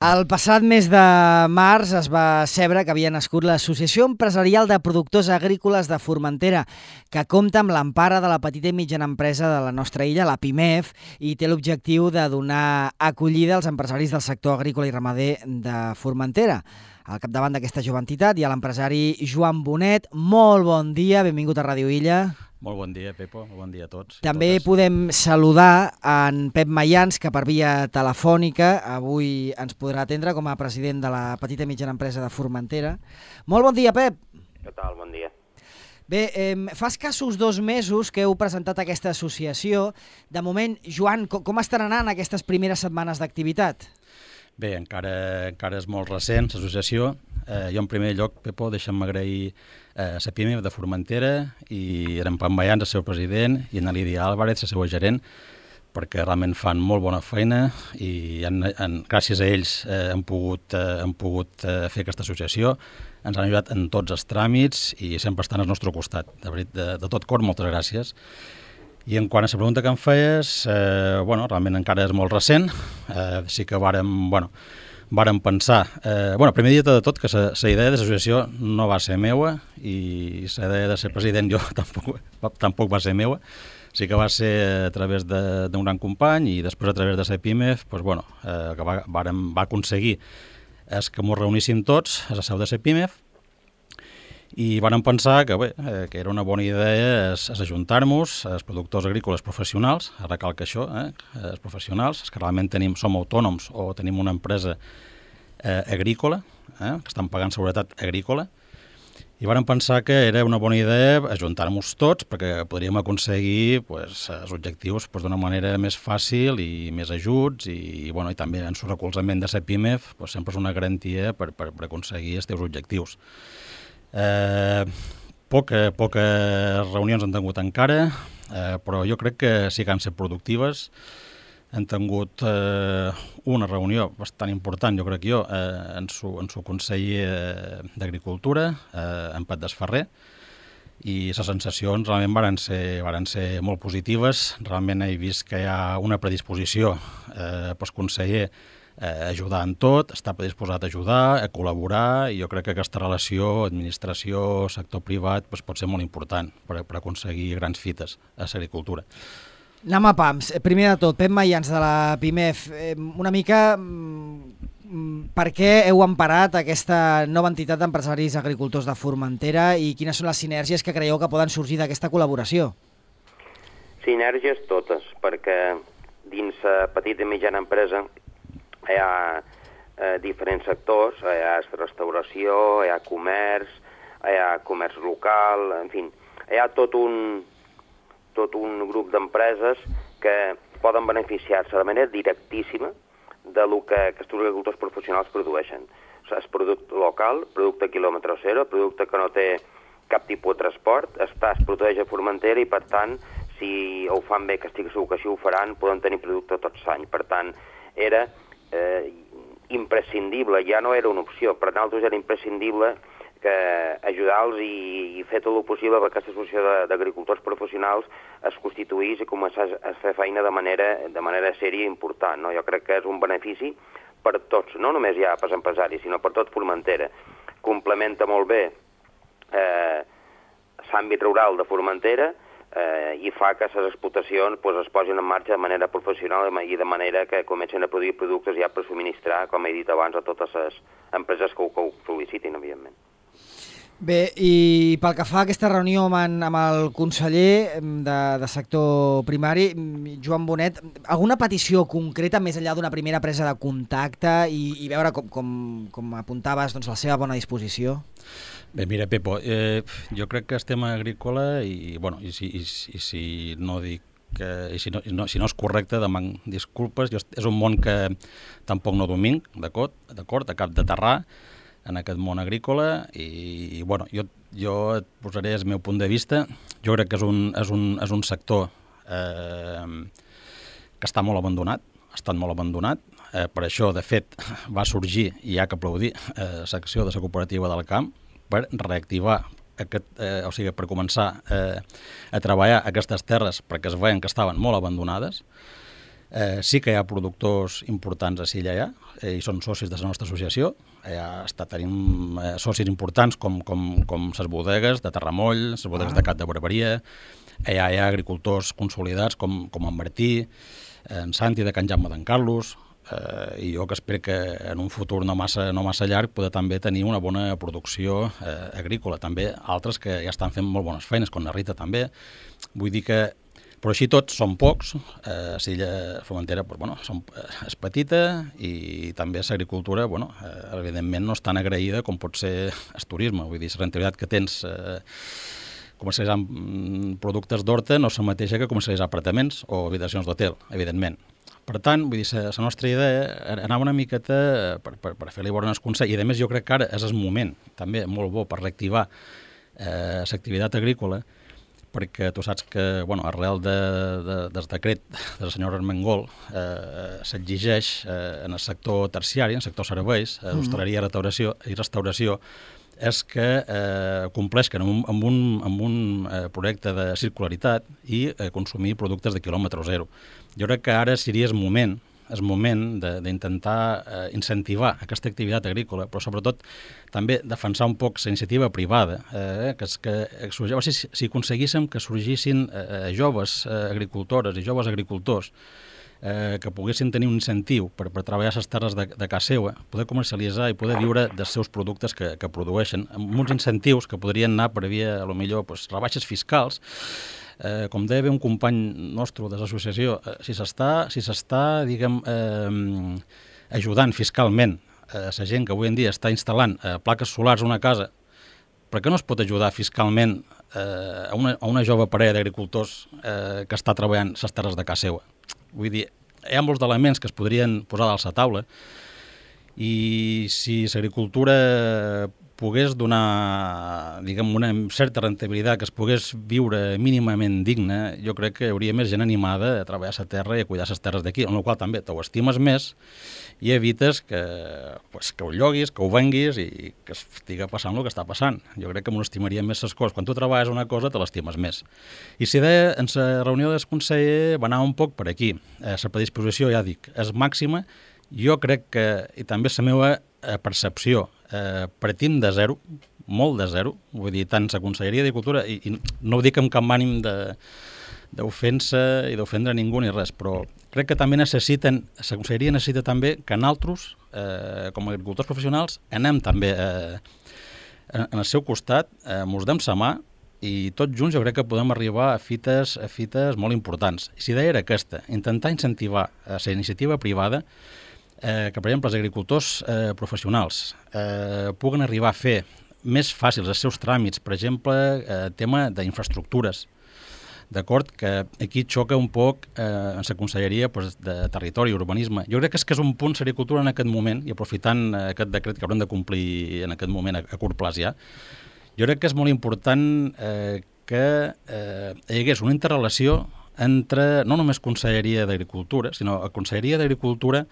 El passat mes de març es va saber que havia nascut l'Associació Empresarial de Productors Agrícoles de Formentera, que compta amb l'empara de la petita i mitjana empresa de la nostra illa, la PIMEF, i té l'objectiu de donar acollida als empresaris del sector agrícola i ramader de Formentera. Al capdavant d'aquesta jove entitat hi ha l'empresari Joan Bonet. Molt bon dia, benvingut a Ràdio Illa. Molt bon dia, Pepo, bon dia a tots. També podem saludar en Pep Mayans, que per via telefònica avui ens podrà atendre com a president de la petita i mitjana empresa de Formentera. Molt bon dia, Pep. Què tal? Bon dia. Bé, fa escassos 2 mesos que heu presentat aquesta associació. De moment, Joan, com estan anant aquestes primeres setmanes d'activitat? Bé, encara és molt recent, l'associació. Jo, en primer lloc, Pepo, deixa'm agrair a la PIMEF de Formentera i en Pep Mayans, el seu president, i en Lídia Álvarez, la seva gerent, perquè realment fan molt bona feina i gràcies a ells hem pogut fer aquesta associació. Ens han ajudat en tots els tràmits i sempre estan al nostre costat. De tot cor, moltes gràcies. I en quant a la pregunta que em feies, realment encara és molt recent. Sí que vàrem pensar... primer dia de tot que la idea de l'associació no va ser meua i la idea de ser president jo tampoc va ser meua. Sí que va ser a través d'un gran company i després a través de la PIMEF que va aconseguir és que ens reuníssim tots a la seu de la PIMEF i vam pensar que era una bona idea ajuntar-nos els productors agrícoles professionals, recalca això, els professionals, els que realment som autònoms o tenim una empresa agrícola, que estan pagant seguretat agrícola, i vam pensar que era una bona idea ajuntar-nos tots perquè podríem aconseguir els objectius d'una manera més fàcil i més ajuts i també en el recolzament de la PIMEF sempre és una garantia per aconseguir els teus objectius. Poques reunions han tingut encara, però jo crec que sí que han estat productives. Han tingut una reunió bastant important, jo crec en su conseller d'Agricultura, en Pat Desferrer, i les sensacions realment varen ser molt positives. Realment he vist que hi ha una predisposició pel conseller a ajudar en tot, està predisposat a ajudar, a col·laborar, i jo crec que aquesta relació administració, sector privat pot ser molt important per aconseguir grans fites a l'agricultura. Anem a pams. Primer de tot, Pep Mayans de la PIMEF, una mica per què heu emparat aquesta nova entitat d'empresaris agricultors de Formentera i quines són les sinergies que creieu que poden sorgir d'aquesta col·laboració? Sinergies totes, perquè dins la petita i mitjana empresa hi ha diferents sectors, hi ha restauració, hi ha comerç local, en fi, hi ha tot un grup d'empreses que poden beneficiar-se de manera directíssima del que aquests agricultors professionals produeixen. O sigui, és producte local, producte quilòmetre zero, producte que no té cap tipus de transport, es produeix a Formentera i, per tant, si ho fan bé, que estic segur que així ho faran, poden tenir producte tot l'any. Per tant, era imprescindible, ja no era una opció, per nosaltres era imprescindible que ajudar-los i fer tot el possible perquè aquesta associació d'agricultors professionals es constituís i començés a fer feina de manera sèria i important. No? Jo crec que és un benefici per tots, no només ja per empresaris, sinó per tot Formentera. Complementa molt bé l'àmbit rural de Formentera i fa que les explotacions es posin en marxa de manera professional i de manera que comencen a produir productes ja per subministrar, com he dit abans, a totes les empreses que ho sol·licitin, evidentment. Bé, i pel que fa a aquesta reunió amb el conseller de sector primari, Joan Bonet, alguna petició concreta més enllà d'una primera presa de contacte i veure com apuntaves la seva bona disposició? Bé, mira, Pepo, jo crec que el tema agrícola i si no dic si no és correcte, deman disculpes. És un món que tampoc no dominc, d'acord, a cap de terrar en aquest món agrícola i jo et posaré el meu punt de vista. Jo crec que és un sector que està molt abandonat, ha estat molt abandonat. Per això, de fet, va sorgir, i hi ha que aplaudir, la secció de la cooperativa del camp per reactivar, per començar a treballar aquestes terres perquè es veien que estaven molt abandonades. Sí que hi ha productors importants a Silla, i són socis de la nostra associació. Tenim socis importants com les bodegues de Terramoll, les bodegues de Cat de Barberia. Hi ha agricultors consolidats com en Martí, en Santi de Can Jaume d'en Carlos, i jo que espero que en un futur no massa llarg poder també tenir una bona producció agrícola. També altres que ja estan fent molt bones feines, com la Rita també. Vull dir que però així tots són pocs. Silla Formentera és petita i també l'agricultura, evidentment no és tan agraïda com pot ser el turisme. Vull dir, la rendibilitat que tens comercialitzant productes d'horta no és la mateixa que comercialitzar apartaments o habitacions d'hotel, evidentment. Per tant, vull dir, la nostra idea anava una miqueta per fer-li veure els consells, i a més jo crec que ara és el moment també molt bo per reactivar l'activitat agrícola, perquè tu saps que, arrel del decret del senyor Armengol s'exigeix en el sector terciari, en el sector serveis, hostaleria i restauració, és que compleixen amb un projecte de circularitat i consumir productes de quilòmetre zero. Jo crec que ara seria el moment d'intentar incentivar aquesta activitat agrícola, però sobretot també defensar un poc la iniciativa privada, si aconseguíssim que sorgissin joves agricultores i joves agricultors que poguessin tenir un incentiu per treballar les terres de casa seva, poder comercialitzar i poder viure dels seus productes que produeixen, amb uns incentius que podrien anar per via, potser, rebaixes fiscals. Com deia un company nostre de l'associació, si s'està ajudant fiscalment la gent que avui en dia està instal·lant plaques solars a una casa, per què no es pot ajudar fiscalment a una jove parella d'agricultors que està treballant les terres de casa seva? Vull dir, hi ha molts elements que es podrien posar dalt la taula, i si l'agricultura pogués donar, una certa rentabilitat, que es pogués viure mínimament digne, jo crec que hi hauria més gent animada a treballar a la terra i a cuidar les terres d'aquí, en la qual també t'ho estimes més i evites que ho lloguis, que ho venguis i que estigui passant el que està passant. Jo crec que m'ho estimaria més les coses. Quan tu treballes una cosa, te l'estimes més. I si deia, en la reunió del conseller va anar un poc per aquí. La predisposició, ja dic, és màxima. Jo crec que, i també la meva percepció, partim de zero, molt de zero, vull dir, tant la Conselleria d'Agricultura, i no ho dic amb cap ànim d'ofensa i d'ofendre ningú ni res, però crec que també la Conselleria necessita també que nosaltres, com a agricultors professionals, anem també en el seu costat, mos dem la mà, i tots junts jo crec que podem arribar a fites molt importants. I si idea era aquesta, intentar incentivar la iniciativa privada, que, per exemple, els agricultors professionals puguen arribar a fer més fàcils els seus tràmits, per exemple, tema d'infraestructures, d'acord? Que aquí xoca un poc en la Conselleria de Territori i Urbanisme. Jo crec que és un punt l'agricultura en aquest moment, i aprofitant aquest decret que haurem de complir en aquest moment a curt plaç ja, jo crec que és molt important que hi hagués una interrelació entre no només Conselleria d'Agricultura, sinó Conselleria d'Agricultura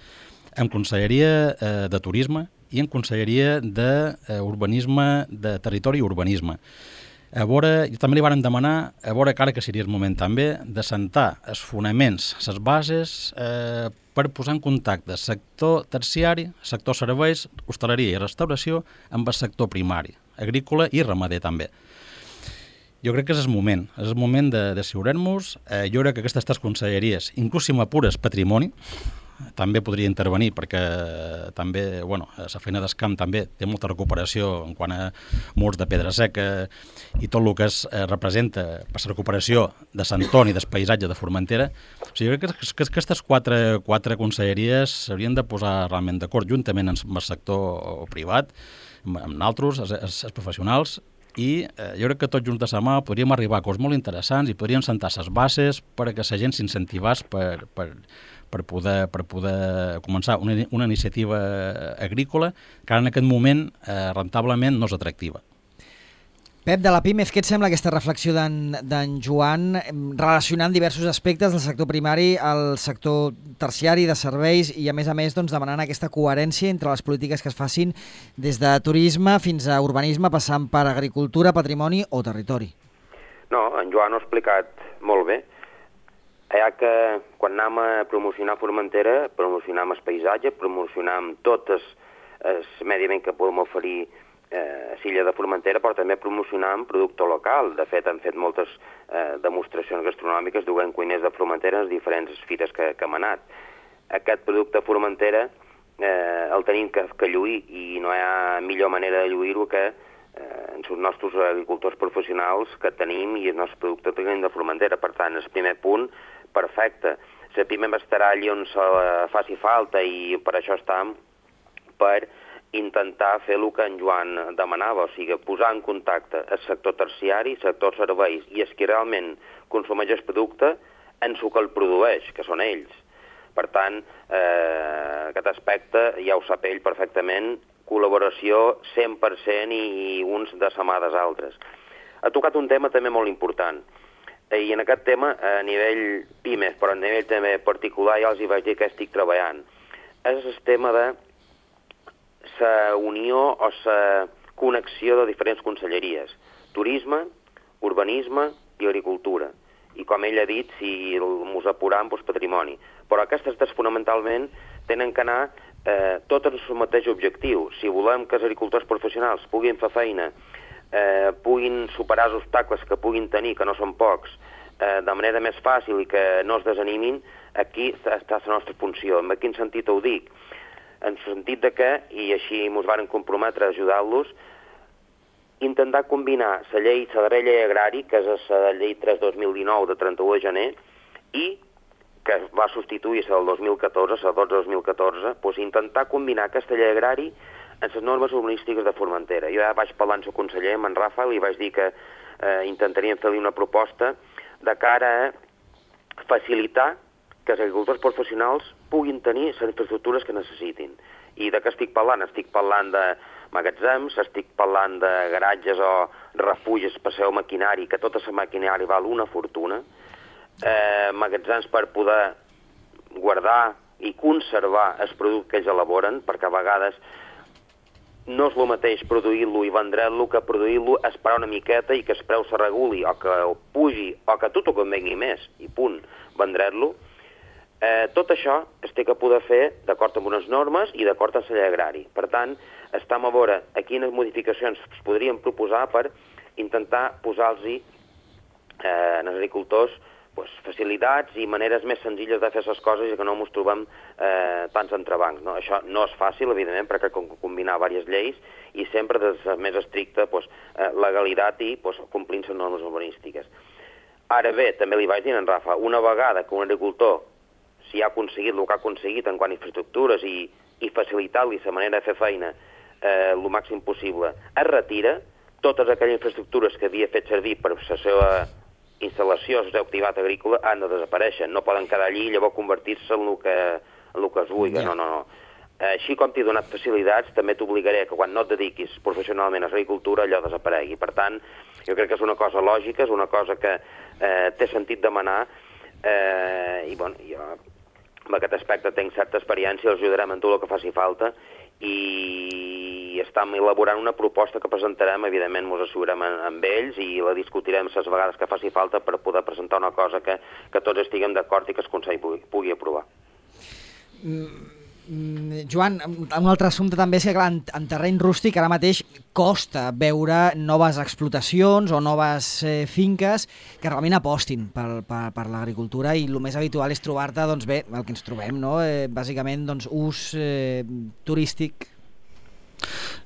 en Conselleria de Turisme i en Conselleria d'Urbanisme, de Territori i Urbanisme. A veure, també li vàrem demanar, a veure que ara que seria el moment també, de sentar els fonaments, les bases, per posar en contacte el sector terciari, sector serveis, hostaleria i restauració, amb el sector primari, agrícola i ramader també. Jo crec que és el moment de decidir-nos. Jo crec que aquestes tres conselleries, inclús si m'apures patrimoni, també podria intervenir, perquè també, la feina d'escamp també té molta recuperació en quant a murs de pedra seca i tot el que representa per la recuperació de Sant Antoni, del paisatge de Formentera. O sigui, jo crec que aquestes quatre conselleries s'haurien de posar realment d'acord juntament amb el sector privat, amb altres, els professionals, i jo crec que tots junts de la mà podríem arribar a coses molt interessants i podríem sentar les bases perquè la gent s'incentivés per poder començar una iniciativa agrícola que ara en aquest moment rentablement no és atractiva. Pep, de la PIMEF, què et sembla aquesta reflexió d'en Joan relacionant diversos aspectes del sector primari al sector terciari de serveis i, a més, demanant aquesta coherència entre les polítiques que es facin des de turisme fins a urbanisme, passant per agricultura, patrimoni o territori? No, en Joan ho ha explicat molt bé. que quan anem a promocionar Formentera, promocionam el paisatge, promocionam tot el medi ambient que podem oferir a l'illa de Formentera, però també promocionam producte local. De fet, hem fet moltes demostracions gastronòmiques duent cuiners de Formentera en les diferents fires que hem anat. Aquest producte Formentera el tenim que lluir, i no hi ha millor manera de lluir-ho que els nostres agricultors professionals que tenim i el nostre producte que tenim de Formentera. Per tant, el primer punt, perfecte. La PIMEF estarà allà on se faci falta i per això estem, per intentar fer el que en Joan demanava, o sigui, posar en contacte el sector terciari, el sector serveis i els que realment consumeix el producte en el que el produeix, que són ells. Per tant, aquest aspecte ja ho sap ell perfectament, col·laboració 100% i uns de la mà dels altres. Ha tocat un tema també molt important, i en aquest tema, a nivell PIMEF, però a nivell també particular, ja els hi vaig dir que estic treballant, és el tema de la unió o la connexió de diferents conselleries, turisme, urbanisme i agricultura. I com ell ha dit, si mos apuram, doncs patrimoni. Però aquestes fonamentalment tenen que anar tots en el mateix objectiu. Si volem que els agricultors professionals puguin fer feina, puguin superar els obstacles que puguin tenir, que no són pocs, de manera més fàcil i que no es desanimin, aquí està la nostra funció. En quin sentit ho dic? En el sentit de que, i així ens varen comprometre a ajudar-los, intentar combinar la darrera llei agrari, que és la llei 3-2019 de 31 de gener, i que va substituir la del 2014, la 12-2014, doncs intentar combinar aquesta llei agrari en les normes urbanístiques de Formentera. Jo ja vaig parlar amb el conseller, amb en Rafa, i vaig dir que intentaríem fer-li una proposta de cara a facilitar que els agricultors professionals puguin tenir les infraestructures que necessitin. I de què estic parlant? Estic parlant de magatzems, estic parlant de garatges o refugis per seu maquinari, que tota la maquinari val una fortuna, magatzems per poder guardar i conservar el producte que ells elaboren, perquè a vegades no és el mateix produir-lo i vendre'l que produir-lo, esperar una miqueta i que el preu se reguli o que pugi o que tot ho convengui més i punt, vendre'l. Tot això es té que poder fer d'acord amb unes normes i d'acord amb la llei agrari. Per tant, estem a veure a quines modificacions es podrien proposar per intentar posar-los als agricultors facilitats i maneres més senzilles de fer les coses i que no ens trobem tants entrebancs. Això no és fàcil, evidentment, perquè cal combinar diverses lleis i sempre des de més estricta legalitat i complint les normes urbanístiques. Ara bé, també li vaig dir a en Rafa, una vegada que un agricultor si ha aconseguit el que ha aconseguit en quant a infraestructures i facilitar-li la manera de fer feina el màxim possible, es retira, totes aquelles infraestructures que havia fet servir per la seva instal·lació, la seva activitat agrícola, han de desaparèixer. No poden quedar allí i llavors convertir-se en el que es vulgui. No. Així com t'he donat facilitats, també t'obligaré que quan no et dediquis professionalment a l'agricultura, allò desaparegui. Per tant, jo crec que és una cosa lògica, és una cosa que té sentit demanar, i jo en aquest aspecte tenc certa experiència, els ajudarem en tot el que faci falta i estem elaborant una proposta que presentarem, evidentment ens assegurem amb ells i la discutirem les vegades que faci falta per poder presentar una cosa que tots estiguem d'acord i que el Consell pugui aprovar. Joan, un altre assumpte també és que clar, en terreny rústic ara mateix costa veure noves explotacions o noves finques que realment apostin per l'agricultura i el més habitual és trobar-te, doncs bé, el que ens trobem, no? Bàsicament ús turístic.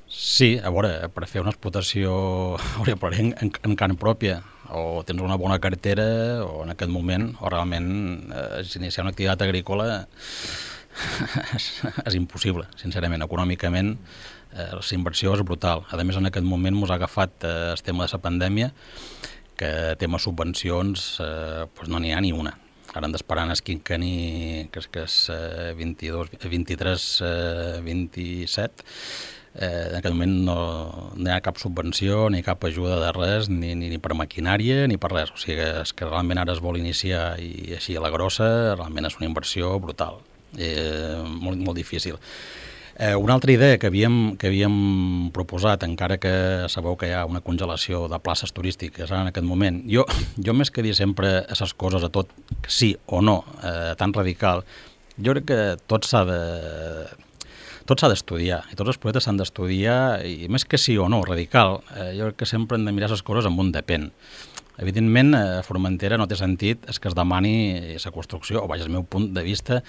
Sí, a veure, per fer una explotació en carn pròpia o tens una bona cartera o en aquest moment o realment iniciar una activitat agrícola és impossible, sincerament. Econòmicament, la inversió és brutal. A més, en aquest moment ens ha agafat el tema de la pandèmia, que tema subvencions no n'hi ha ni una. Ara hem d'esperar en el quinquenni, que és 23-27. En aquest moment no hi ha cap subvenció, ni cap ajuda de res, ni per maquinària, ni per res. O sigui, és que realment ara es vol iniciar i així a la grossa, realment és una inversió brutal. Molt difícil. Una altra idea que havíem proposat, encara que sabeu que hi ha una congelació de places turístiques en aquest moment, jo més que dir sempre aquestes coses a tot sí o no, tan radical, jo crec que tot s'ha d'estudiar, i tots els projectes s'han d'estudiar, i més que sí o no, radical, jo crec que sempre hem de mirar les coses amb un depèn. Evidentment, a Formentera no té sentit que es demani la construcció, o vaja, el meu punt de vista,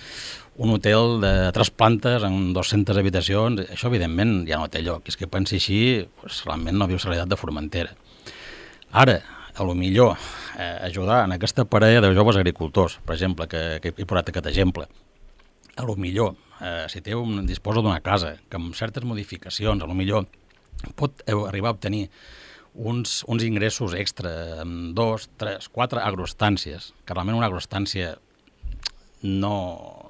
un hotel de 3 plantes amb 200 habitacions, això evidentment ja no té lloc, i és que pensi així, realment no viu la realitat de Formentera. Ara, a lo millor, ajudar en aquesta parella de joves agricultors, per exemple, que he posat aquest exemple, a lo millor, si disposa d'una casa, que amb certes modificacions, a lo millor pot arribar a obtenir uns ingressos extra amb 2, 3, 4 agroestàncies, que realment una agroestància no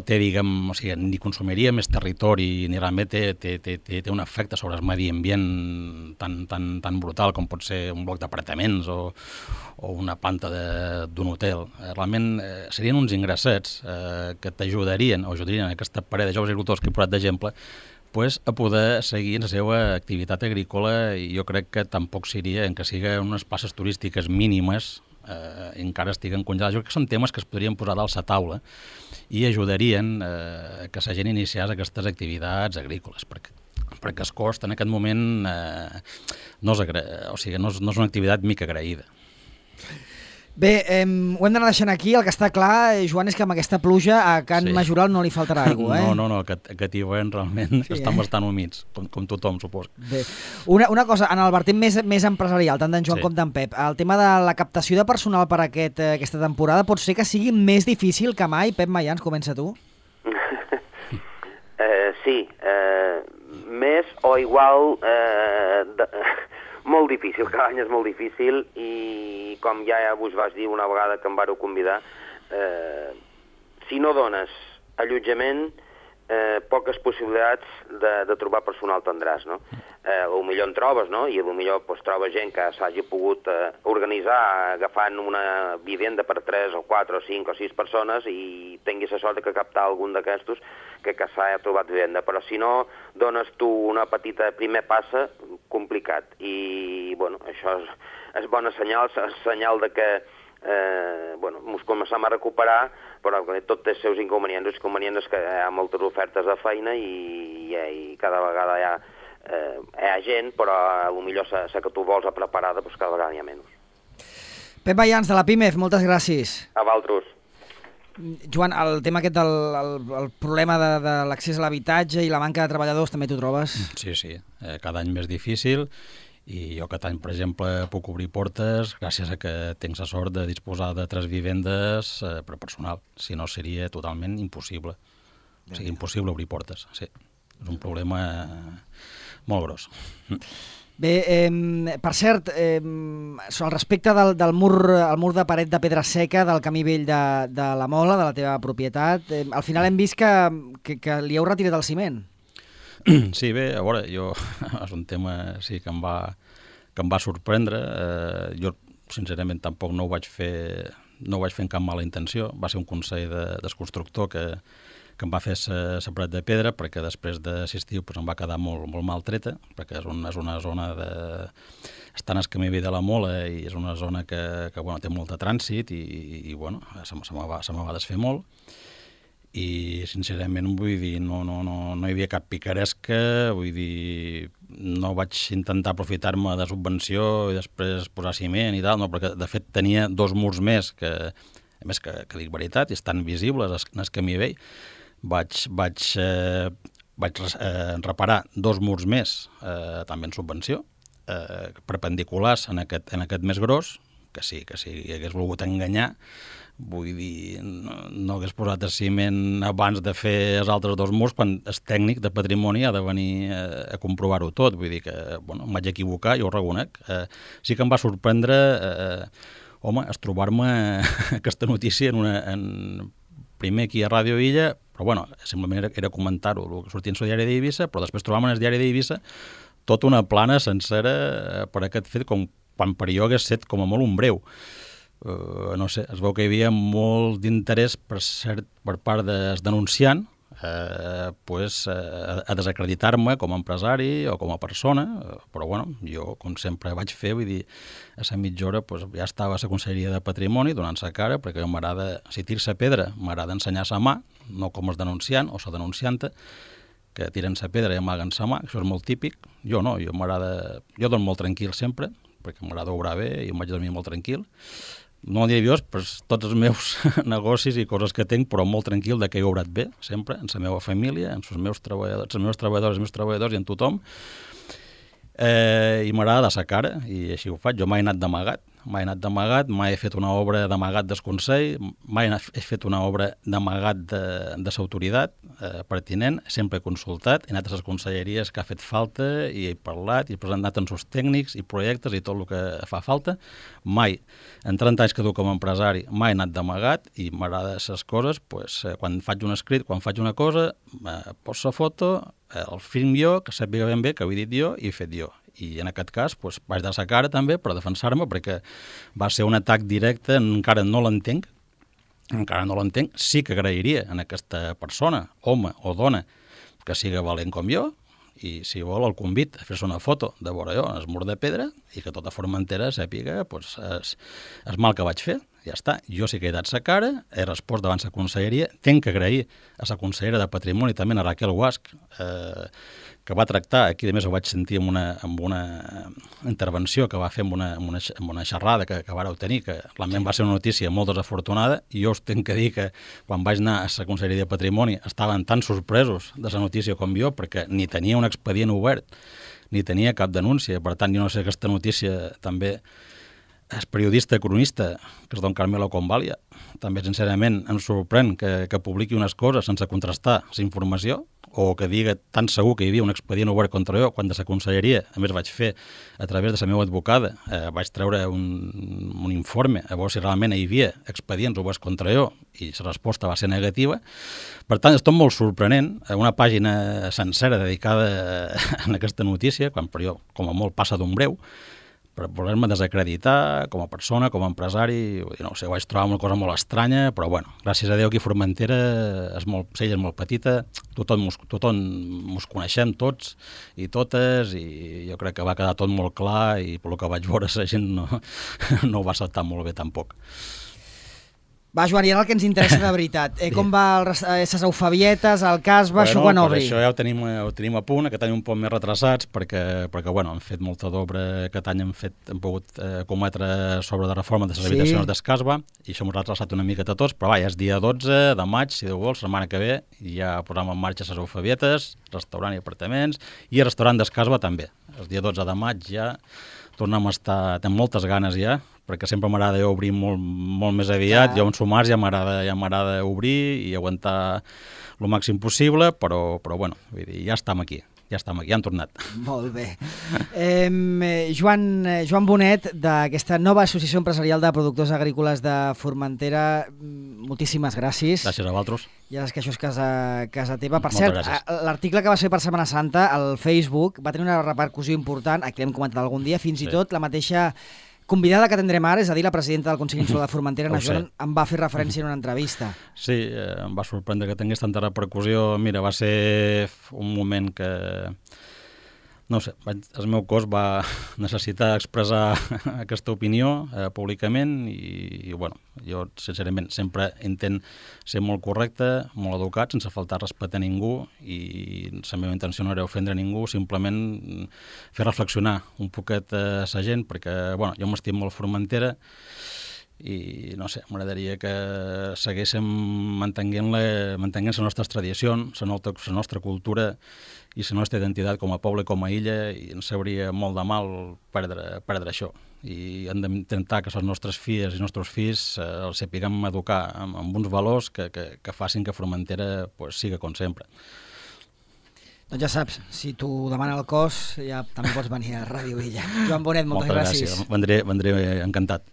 té, diguem, o sigui, ni consumiria més territori, ni realment té un efecte sobre el medi ambient tan brutal com pot ser un bloc d'apartaments o una planta d'un hotel. Realment serien uns ingressets que t'ajudarien, o ajudarien aquesta parella de joves agricultors que he posat d'exemple, a poder seguir la seva activitat agrícola, i jo crec que tampoc seria en que siguin unes places turístiques mínimes encara estiguen congelades. Jo crec que són temes que es podrien posar dalt la taula i ajudarien que la gent iniciés aquestes activitats agrícoles, perquè el cost en aquest moment no és una activitat mica agraïda. Bé, ho hem d'anar deixant aquí. El que està clar, Joan, és que amb aquesta pluja a Can Majoral no li faltarà aigua, eh? No, aquest hivern realment estan bastant humits, com tothom, suposo. Bé, una cosa, en el vertent més empresarial, tant d'en Joan com d'en Pep, el tema de la captació de personal per aquesta temporada pot ser que sigui més difícil que mai. Pep Mayans, comença tu. Sí, més o igual... molt difícil, cada any és molt difícil, i com ja vos vas dir una vegada que em vareu convidar, si no dones allotjament, poques possibilitats de trobar personal tindràs, no? Potser en trobes, no? I potser trobes gent que s'hagi pogut organitzar agafant una vivenda per 3 o 4 o 5 o 6 persones i tinguis la sort de captar algun d'aquestos que s'ha trobat vivenda. Però si no dones tu una petita primer passa, complicat. I, bueno, això és bona senyal, senyal de que ens començem a recuperar, però tot té els seus inconvenients. Els inconvenients és que hi ha moltes ofertes de feina i cada vegada hi ha gent, però potser la que tu vols preparada, cada vegada hi ha menys. Pep Mayans, de la PIMEF, moltes gràcies. A vosaltres. Joan, el tema aquest del problema de l'accés a l'habitatge i la manca de treballadors, també t'ho trobes? Sí, cada any més difícil, i jo aquest any, per exemple, puc obrir portes gràcies a que tinc la sort de disposar de 3 vivendes per personal, si no seria totalment impossible. O sigui, impossible obrir portes, sí. És un problema molt gros. Bé, per cert, al respecte del mur de paret de pedra seca del camí vell de la Mola, de la teva propietat, al final hem vist que li heu retirat el ciment. Sí, bé, a veure, és un tema que em va sorprendre. Jo, sincerament, tampoc no ho vaig fer amb cap mala intenció. Va ser un consell del constructor que em va fer la paret de pedra, perquè després d'assistir em va quedar molt mal treta, perquè és una zona està en el camí vell de la Mola i és una zona que té molt de trànsit i se me va desfer molt. I sincerament vull dir, no hi havia cap picaresca, vull dir, no vaig intentar aprofitar-me de subvenció i després posar ciment i tal, no, perquè de fet tenia 2 murs més que, a més que dic veritat, i estan visibles en el camí vell. Vaig reparar 2 murs més, també en subvenció, perpendiculars en aquest més gros, que si hagués volgut enganyar, vull dir, no hagués posat el ciment abans de fer els altres 2 murs, quan el tècnic de patrimoni ha de venir a comprovar-ho tot. Vull dir que, em vaig equivocar, jo ho reconec. Sí que em va sorprendre, és trobar-me aquesta notícia primer aquí a Ràdio Illa, però simplement era comentar-ho, el que sortia en el diari d'Eivissa, però després trobàvem en el diari d'Eivissa tota una plana sencera per aquest fet, quan per jo hagués set com a molt un breu. No sé, es veu que hi havia molt d'interès per part del denunciant, a desacreditar-me com a empresari o com a persona, però bueno, jo, com sempre vaig fer, vull dir, a la mitja hora ja estava a la Conselleria de Patrimoni donant-se cara, perquè a mi m'agrada, si tir-se pedra, m'agrada ensenyar la mà, no com els denunciant o la denuncianta, que tiren la pedra i amaguen la mà, això és molt típic. Jo no, jo dormo molt tranquil sempre, perquè m'agrada obrar bé i em vaig dormir molt tranquil. No nerviós per tots els meus negocis i coses que tinc, però molt tranquil de que he obrat bé, sempre, en la meva família, en els meus treballadors i en tothom. I m'agrada de sa cara, i així ho faig. Jo mai he anat d'amagat, mai he fet una obra d'amagat del Consell, mai he fet una obra d'amagat de l'autoritat pertinent, sempre he consultat, he anat a les conselleries que ha fet falta i he parlat i he presentat en els tècnics i projectes i tot el que fa falta. Mai, en 30 anys que duc com a empresari, mai he anat d'amagat i m'agrada les coses, quan faig un escrit, quan faig una cosa, poso la foto, el film jo, que sàpiga ben bé que ho he dit jo i he fet jo. I en aquest cas vaig dar la cara també per defensar-me, perquè va ser un atac directe, encara no l'entenc, sí que agrairia en aquesta persona, home o dona, que siga valent com jo, i si vol el convit a fer-se una foto de vora jo en el mur de pedra i que tota Formentera sàpiga el mal que vaig fer. Ja està, jo sí que he dat sa cara, he respost davant la conselleria, tenc que agrair a la consellera de Patrimoni, també a Raquel Guasch, que va tractar, aquí a més ho vaig sentir en una intervenció que va fer en una xerrada que vareu tenir, que realment va ser una notícia molt desafortunada, i jo us tenc que dir que quan vaig anar a la conselleria de Patrimoni estaven tan sorpresos de la notícia com jo, perquè ni tenia un expedient obert, ni tenia cap denúncia, per tant jo no sé aquesta notícia també. El periodista cronista, que és don Carmelo Convalia, també sincerament em sorprèn que publiqui unes coses sense contrastar la informació, o que diga tan segur que hi havia un expedient obert contra jo, quan de la conselleria, a més vaig fer a través de la meva advocada, vaig treure un informe a veure si realment hi havia expedients oberts contra jo, i la resposta va ser negativa. Per tant, és tot molt sorprenent, una pàgina sencera dedicada a aquesta notícia, quan per jo, com a molt, passa d'un breu, per voler-me desacreditar com a persona, com a empresari, no sé, ho vaig trobar una cosa molt estranya, però bueno, gràcies a Déu aquí a Formentera Sella és molt petita, tothom mos coneixem tots i totes, i jo crec que va quedar tot molt clar, i pel que vaig veure la gent no ho va acceptar molt bé tampoc. Va, Joan, i ara el que ens interessa de veritat. Com va les eufavietes, el casba, això quan obri? Això ja ho tenim a punt, aquest any un poc més retrasats, perquè bueno, hem fet molta d'obra, aquest any hem pogut cometre sobre la reforma de les habitacions d'Escasba, i això m'ho ha retrasat una miqueta tots, però va, ja és dia 12 de maig, si Déu vol, la setmana que ve, ja posam en marxa les eufavietes, restaurant i apartaments, i el restaurant d'Escasba també. El dia 12 de maig ja tornem a estar, tenim moltes ganes ja, perquè sempre m'agrada obrir molt més aviat, jo en sumars ja m'agrada obrir i aguantar el màxim possible, però bueno, vull dir, ja estem aquí, ja han tornat. Molt bé. Joan Bonet, d'aquesta nova Associació Empresarial de Productors Agrícoles de Formentera, moltíssimes gràcies. Gràcies a vosaltres. Ja saps que això és casa teva. Per cert, l'article que va ser per Setmana Santa al Facebook va tenir una repercussió important, aquí l'hem comentat algun dia, fins i tot la mateixa convidada que tindrem ara, és a dir, la presidenta del Consell Insular de Formentera, Ana Joan, em va fer referència en una entrevista. Sí, em va sorprendre que tingués tanta repercussió. Mira, va ser un moment que, no sé, el meu cos va necessitar expressar aquesta opinió públicament i, bueno, jo, sincerament, sempre intent ser molt correcte, molt educat, sense faltar respecte a ningú, i la meva intenció no era ofendre ningú, simplement fer reflexionar un poquet a la gent, perquè, bueno, jo m'estim molt Formentera, i no sé, m'agradaria que seguíssim mantenint les nostres tradicions, la nostra cultura i la nostra identitat com a poble, com a illa, i ens hauria molt de mal perdre això. I hem d'intentar que les nostres filles i els nostres fills els sapiguem educar amb uns valors que facin que Formentera siga com sempre. Doncs ja saps, si t'ho demana el cos, ja també pots venir a Ràdio Illa. Joan Bonet, moltes gràcies. Vendré encantat.